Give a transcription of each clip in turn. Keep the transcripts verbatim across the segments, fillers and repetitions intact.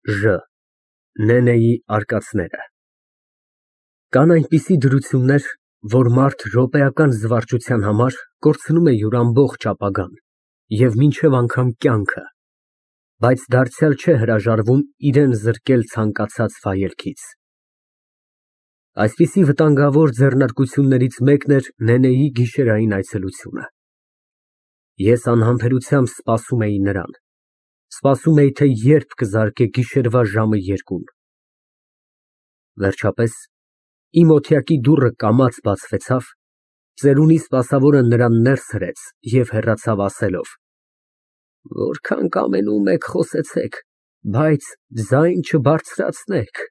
Ժ. Նենեի արկածները Կան այնպիսի դրություններ, որ մարդ րոպեական զվարճության համար կորցնում է իր ամբողջ ապագան և մինչև անգամ կյանքը, բայց դարձյալ չէ հրաժարվում իրան զրկել ցանկացած վայելքից։ Այսպիսի վտանգավոր ձեռնարկություններից մեկն էր Նենեի գիշերային այցելությունը։ Ես անհամբերությամբ սպասում էի նրան, սպասում էի, թե երբ կզարկե գիշերվա ժամը երկուն։ Վերջապես իմ օթյակի դուռը կամաց բացվեցավ, ծերունի սպասավորը նրան ներս հրեց և հեռացավ, ասելով. «Որքան կամենում եք խոսեցեք, բայց ձայն չբարձրացնեք»։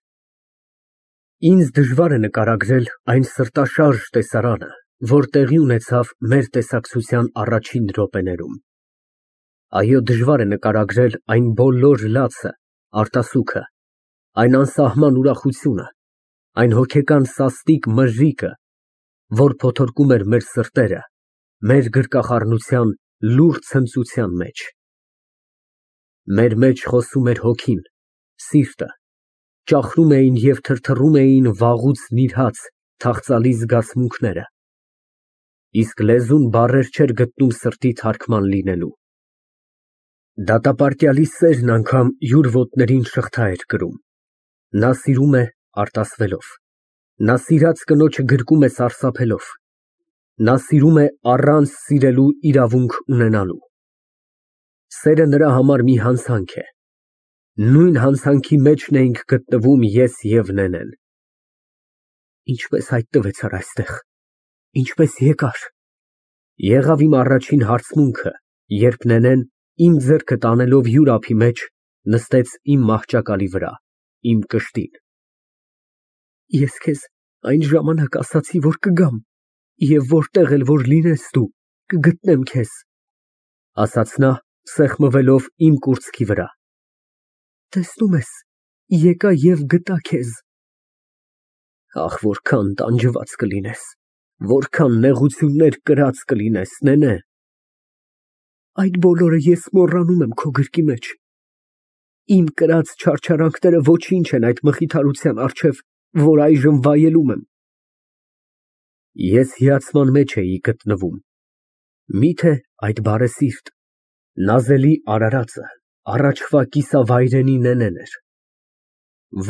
Ինձ դժվար է նկարագրել այն սրտաշարժ տեսարանը, որ տեղի ունեցավ մեր տեսակցության առաջին րոպեներում։ Այո, դժվար է նկարագրել այն բոլոր լացը, արտասուքը, այն անսահման ուրախությունը, այն հոգեկան սաստիկ մրրիկը, որ փոթորկում էր մեր սրտերը, մեր գրկախառնության լուռ ցնծության մեջ։ Մեր մեջ խոսում էր հոգին, սիրտը, ճախրում էին և թրթռում էին վաղուց նիրհած, թախծալի զգացմունքները, իսկ լեզուն բառեր չէր գտնում սրտի թարգման լինելու։ Դատապարտյալի սերն անգամ յուր ոտներին շղթա էր կրում։ Նա սիրում է արտասվելով, նա սիրած կնոջը գրկում է սարսափելով, նա սիրում է առանց սիրելու իրավունք ունենալու։ Սերը նրա համար մի հանցանք է։ Նույն հանցանքի մեջն էինք գտնվում ես և Նենեն։ Ինչպե՞ս հայտնվեցար այստեղ, ինչպե՞ս եկար։ Եղավ իմ առաջին հարցմունքը, երբ Նենեն, իմ ձեռքը տանելով յուր ափի մեջ, նստեց իմ մահճակալի վրա, իմ կշտին։ Ես քեզ այն ժամանակ ասացի, որ կգամ, և որտեղ էլ որ լինես դու, կգտնեմ քեզ, ասաց նա, սեղմվելով իմ կուրծքի վրա։ Տեսնում ես, եկա և գտա քեզ։ Ախ, որքան տանջված կլինես, որքան նեղություններ կրած կլինես, Նենե։ Այդ բոլորը ես մոռանում եմ քո գրկի մեջ։ Իմ կրած չարչարանքները ոչինչ են այդ մխիթարության առջև, որ այժմ վայելում եմ։ Ես հիացման մեջ էի գտնվում։ Միթե այդ բարեսիրտ, նազելի արարածը առաջվա կիսավայրենի Նենեն էր։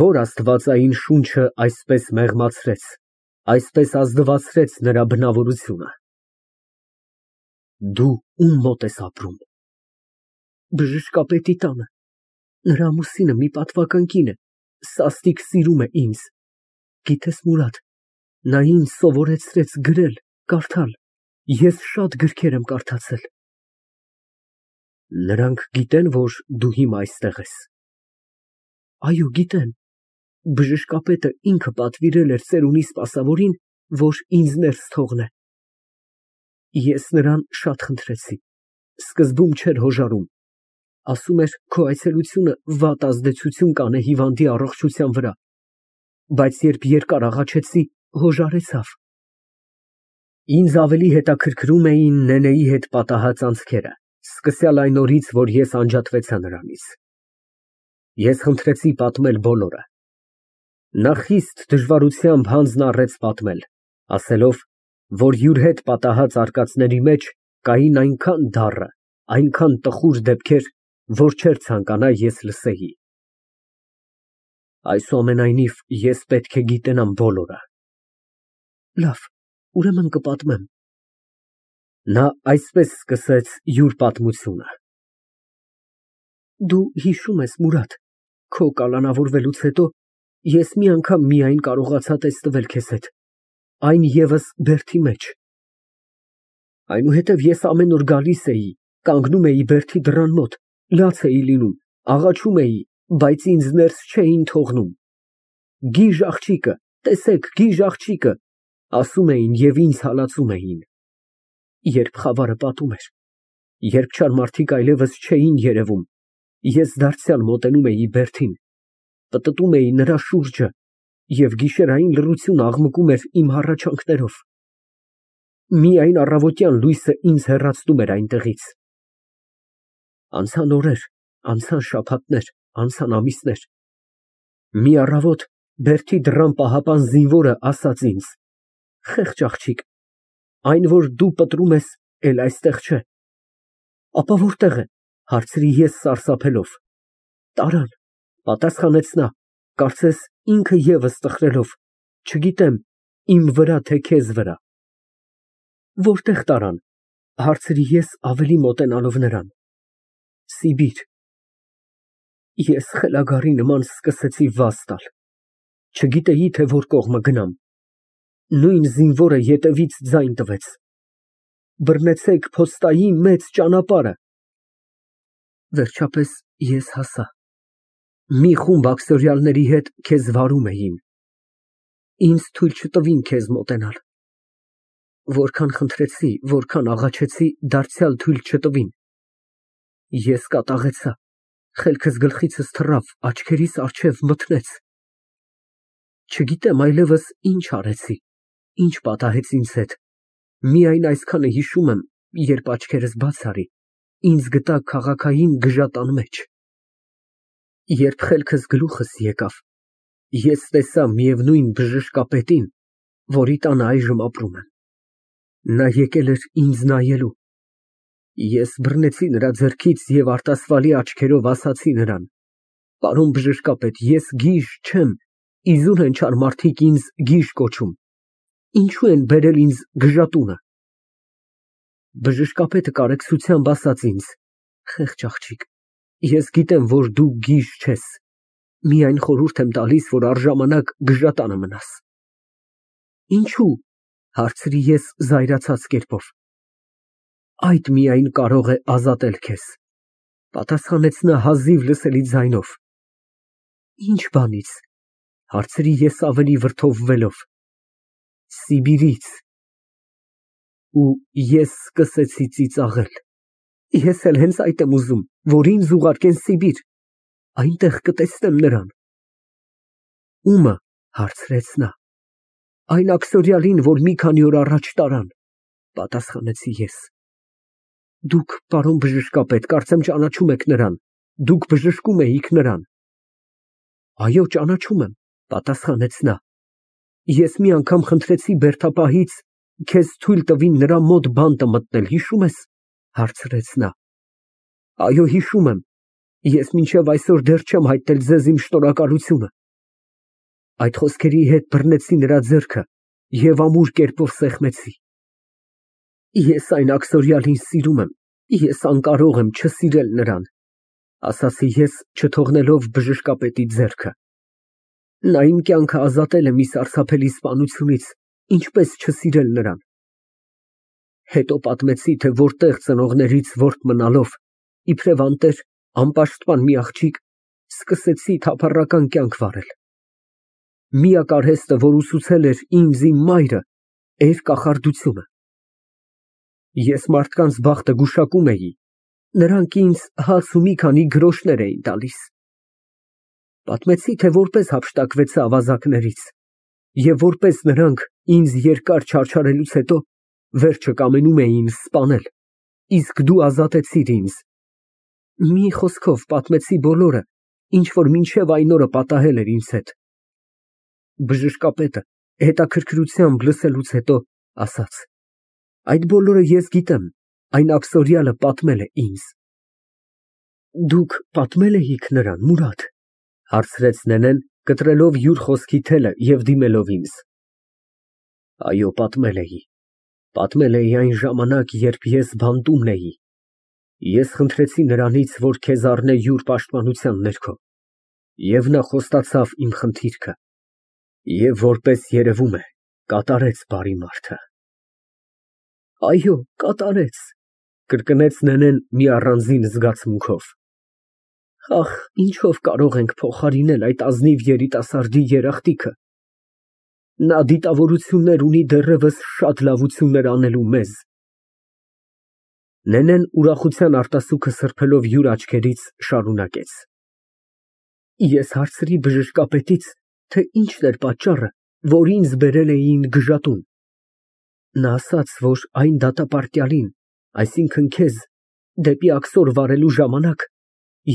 Ո՞ր աստվածային շունչը այսպես մեղմացրեց, այսպես ազնվացրեց նրա բնավորությունը։ Դու ում մոտ ես ապրում։ Բժշկապետի տանը։ Նրա ամուսինը մի պատվարժան կին է, սաստիկ սիրում է ինձ։ Գիտես, Մուրադ, նա ինձ սովորեցրեց գրել, կարդալ, ես շատ գրքեր եմ կարդացել։ Նրանք գիտե՞ն, որ դու հիմա այստեղ ես։ Այո, գիտեն։ Բժշկապետը ինքը պատվիրել էր ծերունի սպասավորին, որ ինձ ներս թողնե։ Ես նրան շատ խնդրեցի, սկզբում չէր հոժարում, ասում էր քո այցելությունը վատ ազդեցություն կանե հիվանդի առողջության վրա, բայց երբ երկար աղաչեցի, հոժարեցավ։ Ինձ ավելի հետաքրքրում էին Նենեի հետ պատահած անցքերը, սկսյալ այն օրից, որ ես անջատվեցա նրանից։ Ես խնդրեցի պատմել բոլորը։ Նա խիստ դժվարությամբ հանձն առեց պատմել, ասելով, որ յուր հետ պատահած արկածների մեջ կային այնքան դառը, այնքան տխուր դեպքեր, որ չէր ցանկանա ես լսեի։ Այսուամենայնիվ, ես պետք է գիտենամ բոլորը։ Լավ, ուրեմն կպատմեմ։ Նա այսպես սկսեց յուր պատմությունը։ Դու հիշում ես, Մուրադ, քո կալանավորվելուց հետո ես մի անգամ միայն կարողացա տեսնվել քեզ հետ, այն ևս բերդի մեջ։ Այնուհետև ես ամեն օր գալիս էի, կանգնում էի բերդի դռան մոտ, լաց էի լինում, աղաչում էի, բայց ինձ ներս չէին թողնում։ Գիժ աղջիկը, տեսեք, գիժ աղջիկը, ասում էին և ինձ հալածում էին։ Երբ խավարը պատում էր, երբ չար մարդիկ այլևս չէին երևում, ես դարձյալ մոտենում էի բերդին, պտտում էի նրա շուրջը, և գիշերային լռությունը աղմկում էր իմ հառաչանքներով։ Միայն առավոտյան լույսը ինձ հեռացնում էր այնտեղից։ Անցան օրեր, անցան շաբաթներ, անցան ամիսներ, Մի առավոտ բերդի դռան պահապան զինվորը ասաց ինձ. «Խեղճ աղջիկ, այն, որ դու պտռում ես, էլ այստեղ չէ»։ «Ապա որտե՞ղ է», հարցրի ես սարսափելով։ «Տարան», պատասխանեց նա, կարծես ինքը ևս տխրելով, «չգիտեմ իմ վրա, թե քեզ վրա»։ «Որտե՞ղ տարան», հարցրի ես ավելի մոտենալով նրան։ «Սիբիր»։ Ես խելագարի նման սկսեցի վազ տալ, չգիտեի, թե որ կողմը գնամ։ Նույն զինվորը ետևից ձայն տվեց. «Բռնեցեք փոստայի մեծ ճանապարհը»։ Վերջապես ես հասա։ Մի խումբ աքսորիալների հետ քեզ վարում էին։ Ինձ թույլ չտվին քեզ մոտենալ։ Որքան խնդրեցի, որքան աղաչեցի, դարձյալ թույլ չտվին։ Ես կատաղեցա, խելքս գլխիցս թռավ, աչքերիս առջև մթնեց։ Չգիտեմ այլևս ինչ արեցի, ինչ պատահեց ինձ հետ, միայն այսքանը հիշում եմ, երբ աչքերս բաց արի, ինձ գտա քաղաքային գժատան մեջ։ Երբ խելքս գլուխս եկավ, ես տեսա միևնույն բժշկապետին, որի տանը այժմ ապրում եմ։ Նա եկել էր ինձ նայելու։ Ես բռնեցի նրա ձեռքից և արտասվալի աչքերով ասացի նրան. «Պարոն բժշկապետ, ես գիժ չեմ, իզուր են չար մարդիկ ինձ գիժ կոչում, ինչո՞ւ են բերել ինձ գժատունը»։ Բժշկապետը կարեկցությամբ ասաց ինձ. «Խեղճ աղջիկ, ես գիտեմ, որ դու գիժ չես, միայն խորհուրդ եմ տալիս, որ առժամանակ գժատանը մնաս»։ «Ինչո՞ւ», հարցրի ես զայրացած կերպով։ «Այդ միայն կարող է ազատել քեզ», պատասխանեց նա հազիվ լսելի ձայնով։ «Ինչ բանից», հարցրի ես ավելի վրդովվելով։ «Սիբիրից»։ Ու ես սկսեցի ծիծաղել։ Ես էլ հենց այդ եմ ուզում, որ ինձ ուղարկեն Սիբիր, այնտեղ կտեսնեմ նրան։ «Ո՞ւմը», հարցրեց նա։ «Այն աքսորիալին, որ մի քանի օր առաջ տարան», պատասխանեցի ես։ «Դուք, պարոն բժշկապետ, կարծեմ ճանաչում եք նրան, դուք բժշկում էիք նրան»։ «Այո, ճանաչում եմ», պատասխանեց նա։ «Ես մի անգամ խնդրեցի բերդապահից քեզ թույլ տվին նրա մոտ բանտը մտնել, հիշո՞ւմ ես», հարցրեց նա։ «Այո, հիշում եմ, ես մինչև այսօր դեռ չեմ հայտնել ձեզ իմ շնորհակալությունը»։ Այդ խոսքերի հետ բռնեցի նրա ձեռքը և ամուր կերպով սեղմեցի։ «Ես այն աքսորիալին սիրում եմ, ես անկարող եմ չսիրել նրան», ասացի ես, չթողնելով բժշկապետի ձեռքը։ «Նա իմ կյանքը ազատել է մի սարսափելի սպանությունից, ինչպես չսիրել նրան»։ Հետո պատմեցի, թե որտեղ ծնողներից որբ մնալով, իբրև անտեր, անպաշտպան մի աղջիկ, սկսեցի թափառական կյանք վարել։ Միակ արհեստը, որ ուսուցել էր ինձ իմ մայրը, էր կախարդությունը։ Ես մարդկանց բախտը գուշակում էի, նրանք ինձ հաց ու մի քանի գրոշներ էին տալիս։ Պատմեցի, թե որպես հափշտակվեցա ավազակներից, և որպես նրանք ինձ երկար չարչարելուց հետո վերջը կամենում էին սպանել, իսկ դու ազատեցիր ինձ։ Մի խոսքով պատմեցի բոլորը, ինչ որ մինչև այն օրը պատահել էր ինձ հետ։ Բժշկապետը հետաքրքրությամբ լսելուց հետո ասաց. «Այդ բոլորը ես գիտեմ, այն աքսորիալը պատմել է ինձ»։ «Դուք պատմել էիք նրան, Մուրադ», հարցրեց նենեն, կտրելով յուր խոսքի թելը և դիմելով ինձ։ «Այո, պատմել էի, պատմել էի այն ժամանակ, երբ ես բանտումն էի։ Ես խնդրեցի նրանից, որ քեզ առնե յուր պաշտպանության ներքո, և նա խոստացավ իմ խնդիրքը, և որպես երևում է, կատարեց բարի մարդը»։ «Այո, կատարեց», կրկնեց նենեն մի առանձին զգացմունքով։ «Ախ, ինչով կարող ենք փոխարինել այդ ազնիվ երիտասարդի երախտիկը։ Նա դիտավորություններ ունի դեռևս շատ լավություններ անելու մեզ»։ Նենեն ուրախության արտասուքը սրբելով յուր աչքերից, շարունակեց. «Ես հարցրի բժշկապետից, թե ինչն էր պատճառը, որ ինձ բերել էին գժատուն։ Նա ասաց, որ այն դատապարտյալին, այսինքն քեզ, դեպի աքսոր վարելու ժամանակ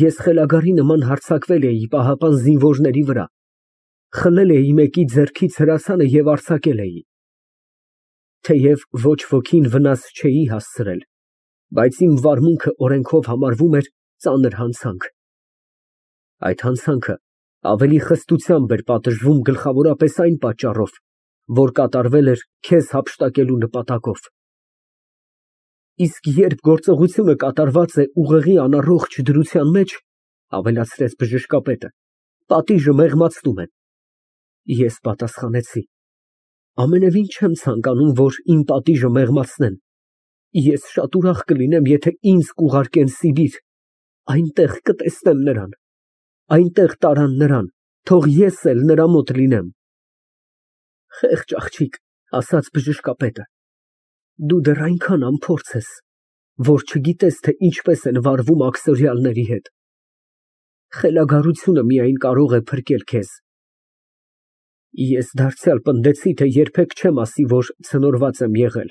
ես խելագարի նման հարձակվել էի պահապան զինվորների վրա խլել էի մեկի ձեռքից հրացանը և արձակել էի։ Թեև ոչ ոքին վնաս չէի հասցրել, բայց իմ վարմունքը օրենքով համարվում էր ծանր հանցանք։ Այդ հանցանքը ավելի խստությամբ էր պատժվում գլխավորապես այն պատճառով, որ կատարվել էր քեզ հափշտակելու նպատակով։ Իսկ երբ գործողությունը կատարված է ուղեղի անառողջ դրության մեջ, ավելացրեց բժշկապետը, պատիժը մեղմացնում են։ Ես պատասխանեցի. ամենևին չեմ ցանկանում, որ իմ պատիժը մեղմացնեն։ Ես շատ ուրախ կլինեմ, եթե ինձ կուղարկեն Սիբիր, այնտեղ կտեսնեմ նրան, այնտեղ տարան նրան, թող ես էլ նրա մոտ լինեմ։ Խեղճ աղջիկ, ասաց բժշկապետը, դու դեռ այնքան անփորձ ես, որ չգիտես, թե ինչպես են վարվում աքսորյալների հետ։ Խելագարությունը միայն կարող է փրկել քեզ։ Ես դարձյալ պնդեցի, թե երբեք չեմ ասի, որ ցնորված եմ եղել,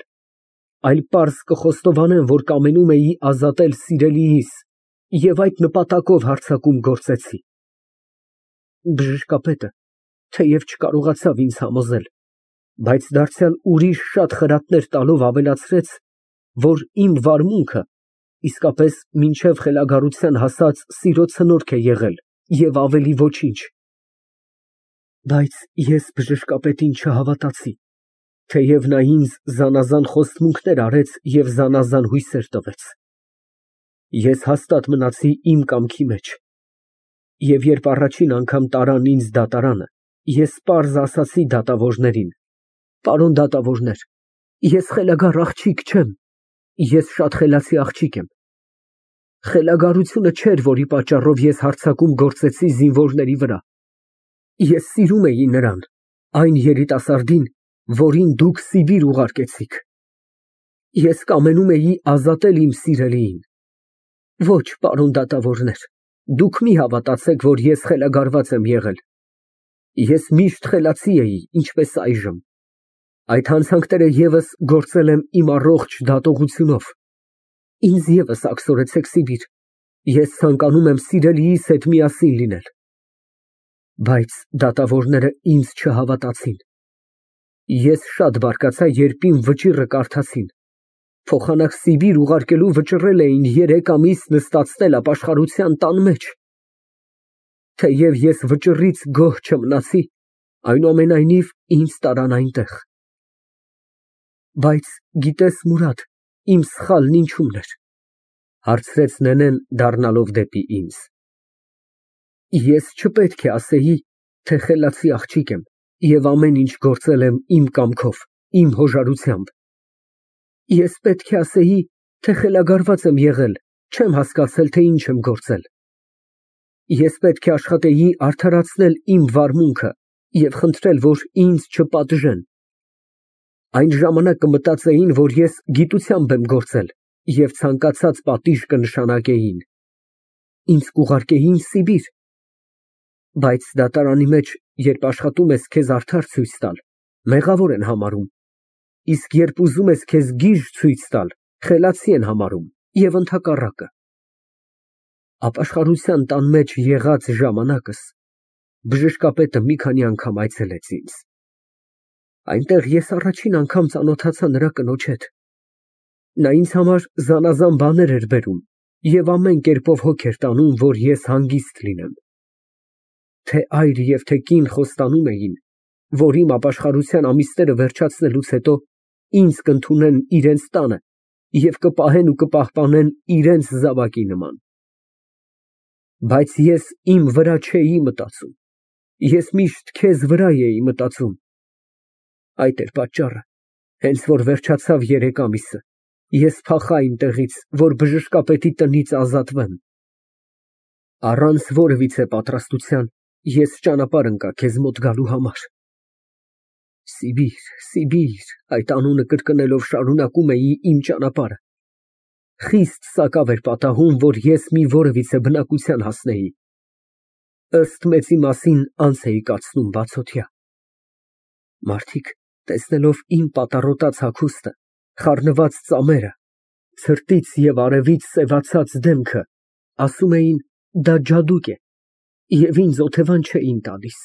այլ պարզ կխոստովանեմ, որ կամենում էի ազատել սիրելիիս և այդ նպատակով հարձակում գործեցի։ Բժշկապետը թեև չկարողացավ ինձ համոզել, բայց դարձյալ ուրիշ շատ խրատներ տալով ավելացրեց, որ իմ վարմունքը իսկապես մինչև խելագարության հասած սիրո ցնորք է եղել և ավելի ոչինչ։ Բայց ես բժշկապետին չհավատացի, թեև նա ինձ զանազան խոստմունքներ արեց և զանազան հույսեր տվեց։ Ես հաստատ մնացի իմ կամքի մեջ, և երբ առաջին անգամ տարան ինձ դատարանը, ես պարզ ասացի դատավորներին. պարոն դատավորներ, ես խելագար աղջիկ չեմ, ես շատ խելացի աղջիկ եմ։ Խելագարությունը չէր, որի պատճառով ես հարձակում գործեցի զինվորների վրա։ Ես սիրում էի նրան, այն երիտասարդին, որին դուք Սիբիր ուղարկեցիք։ Ես կամենում էի ազատել իմ սիրելիին։ Ոչ, պարոն դատավորներ, դուք մի հավատացեք, որ ես խելագարված եմ եղել։ Ես միշտ խելացի էի, ինչպես այժմ։ Այդ հանցանքները ևս գործել եմ իմ առողջ դատողությունով։ Ինձ ևս աքսորեցեք Սիբիր, ես ցանկանում եմ սիրելիիս հետ միասին լինել։ Բայց դատավորները ինձ չհավատացին։ Ես շատ բարկացա, երբ իմ վճիռը կարդացին։ Փոխանակ Սիբիր ուղարկելու վճռել էին երեք ամիս նստացնել ապաշխարության տան մեջ։ Թեև ես վճռից գոհ չմնացի, այնուամենայնիվ ինձ տարան այնտեղ։ Բայց գիտես, Մուրադ, իմ սխալն ինչումն էր, հարցրեց նենեն, դառնալով դեպի ինձ։ Ես չպետք է ասեի, թե խելացի աղջիկ եմ և ամեն ինչ գործել եմ իմ կամքով, իմ հոժարությամբ։ Ես պետք է ասեի, թե խելագարված եմ եղել, չեմ հասկացել, թե ինչ եմ գործել։ Ես պետք է աշխատեի արդարացնել իմ վարմունքը և խնդրել, որ ինձ չպատժեն։ Այն ժամանակ կմտածեին, որ ես գիտությամբ եմ գործել և ցանկացած պատիժ կնշանակեին։ Ինձ կուղարկեին Սիբիր։ Բայց դատարանի մեջ, երբ աշխատում ես քեզ արդար ցույց տալ, մեղավոր են համարում, իսկ երբ ուզում ես քեզ գիժ ցույց տալ, խելացի են համարում և ընդհակառակը։ Ապաշխարության տան մեջ եղած ժամանակս բժշկապետը մի քանի անգամ այցելեց ինձ։ Այնտեղ ես առաջին անգամ ծանոթացա նրա կնոջ հետ։ Նա ինձ համար զանազան բաներ էր բերում և ամեն կերպով հոգ էր տանում, որ ես հանգիստ լինեմ։ Թե այր և թե կին խոստանում էին, որ իմ ապաշխարության ամիսները վերջացնելուց հետո ինձ կընդունեն իրենց տանը և կպահեն ու կպահպանեն իրենց զավակի նման։ Բայց ես իմ վրա չէի մտածում, ես միշտ քեզ վրա էի մտածում։ Այդ էր պատճառը, հենց որ վերջացավ երեք ամիսը, ես փախա այնտեղից, որ բժշկապետի տնից ազատվեմ։ Առանց որևիցե պատրաստության ես ճանապարհ ընկա քեզ մոտ գալու համար։ Սիբիր, Սիբիր, այդ անունը կրկնելով շարունակում էի իմ ճանապարհը։ Խիստ սակավ էր պատահում, որ ես մի որևիցե բնակության հասնեի։ Ըստ մեծի մասին անց էի կացնում բացօթյա։ Մարդիկ, տեսնելով իմ պատառոտած հագուստը, խառնված ծամերը, ցրտից և արևից սևացած դեմքը, ասում էին, դա ջադուկ է և ինձ օթևան չէին տալիս։